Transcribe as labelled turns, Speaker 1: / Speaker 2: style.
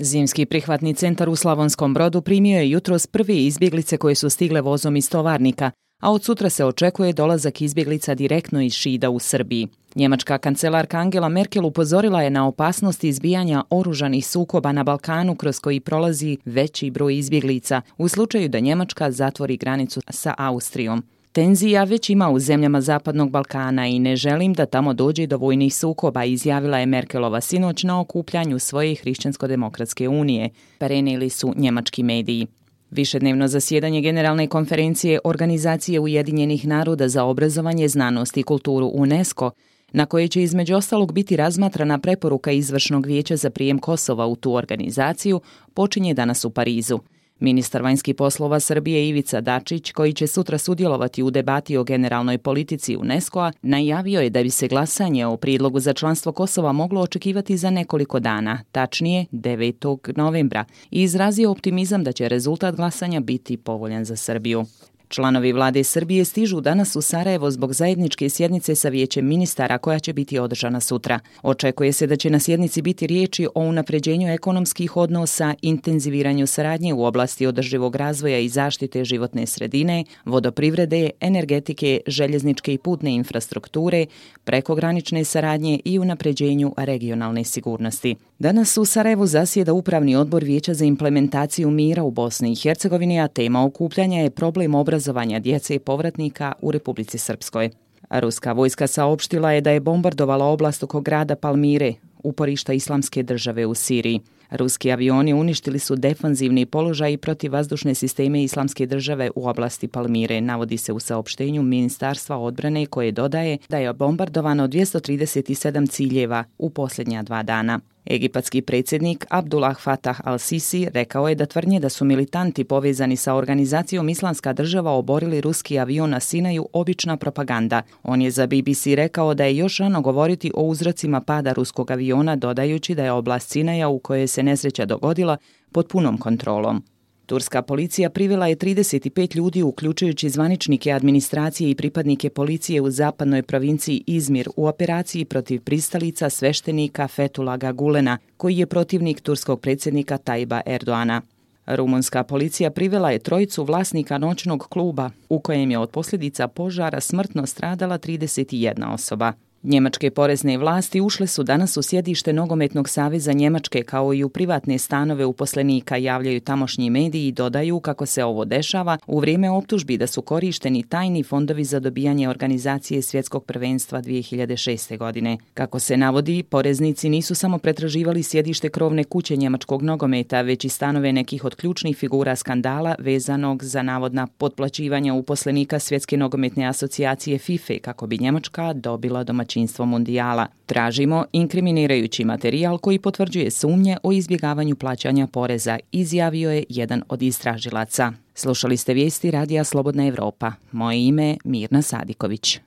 Speaker 1: Zimski prihvatni centar u Slavonskom Brodu primio je jutros prve izbjeglice koje su stigle vozom iz Tovarnika, a od sutra se očekuje dolazak izbjeglica direktno iz Šida u Srbiji. Njemačka kancelarka Angela Merkel upozorila je na opasnost izbijanja oružanih sukoba na Balkanu kroz koji prolazi veći broj izbjeglica u slučaju da Njemačka zatvori granicu sa Austrijom. Tenzija već ima u zemljama Zapadnog Balkana i ne želim da tamo dođe do vojnih sukoba, izjavila je Merkelova sinoć na okupljanju svoje Hrišćansko-demokratske unije, prenijeli su njemački mediji. Višednevno zasjedanje Generalne konferencije Organizacije Ujedinjenih naroda za obrazovanje, znanost i kulturu UNESCO, na koje će između ostalog biti razmatrana preporuka Izvršnog vijeća za prijem Kosova u tu organizaciju, počinje danas u Parizu. Ministar vanjskih poslova Srbije Ivica Dačić, koji će sutra sudjelovati u debati o generalnoj politici UNESCO-a, najavio je da bi se glasanje o prijedlogu za članstvo Kosova moglo očekivati za nekoliko dana, tačnije 9. novembra, i izrazio optimizam da će rezultat glasanja biti povoljan za Srbiju. Članovi vlade Srbije stižu danas u Sarajevo zbog zajedničke sjednice sa Vijećem ministara koja će biti održana sutra. Očekuje se da će na sjednici biti riječi o unapređenju ekonomskih odnosa, intenziviranju saradnje u oblasti održivog razvoja i zaštite životne sredine, vodoprivrede, energetike, željezničke i putne infrastrukture, prekogranične saradnje i unapređenju regionalne sigurnosti. Danas u Sarajevu zasjeda Upravni odbor Vijeća za implementaciju mira u Bosni i Hercegovini, a tema okupljanja je problem obrazovanja djece i povratnika u Republici Srpskoj. Ruska vojska saopštila je da je bombardovala oblast oko grada Palmire, uporišta Islamske države u Siriji. Ruski avioni uništili su defanzivni položaj i protivvazdušne sisteme Islamske države u oblasti Palmire, navodi se u saopštenju Ministarstva odbrane koje dodaje da je bombardovano 237 ciljeva u posljednja 2 dana. Egipatski predsjednik Abdullah Fatah al-Sisi rekao je da tvrdnje da su militanti povezani sa organizacijom Islamska država oborili ruski avion na Sinaju obična propaganda. On je za BBC rekao da je još rano govoriti o uzrocima pada ruskog aviona, dodajući da je oblast Sinaja u kojoj se nesreća dogodila pod punom kontrolom. Turska policija privela je 35 ljudi, uključujući zvaničnike administracije i pripadnike policije u zapadnoj provinciji Izmir u operaciji protiv pristalica sveštenika Fethullah Gulena, koji je protivnik turskog predsjednika Tajiba Erdoana. Rumunska policija privela je 3 vlasnika noćnog kluba, u kojem je od posljedica požara smrtno stradala 31 osoba. Njemačke porezne vlasti ušle su danas u sjedište Nogometnog saveza Njemačke kao i u privatne stanove uposlenika, javljaju tamošnji mediji i dodaju kako se ovo dešava u vrijeme optužbi da su korišteni tajni fondovi za dobijanje organizacije svjetskog prvenstva 2006. godine. Kako se navodi, poreznici nisu samo pretraživali sjedište krovne kuće njemačkog nogometa, već i stanove nekih od ključnih figura skandala vezanog za navodna potplaćivanja uposlenika Svjetske nogometne asocijacije FIFA kako bi Njemačka dobila domaćinstvo mundijala. Tražimo inkriminirajući materijal koji potvrđuje sumnje o izbjegavanju plaćanja poreza, izjavio je jedan od istražilaca. Slušali ste vijesti Radija Slobodna Evropa. Moje ime je Mirna Sadiković.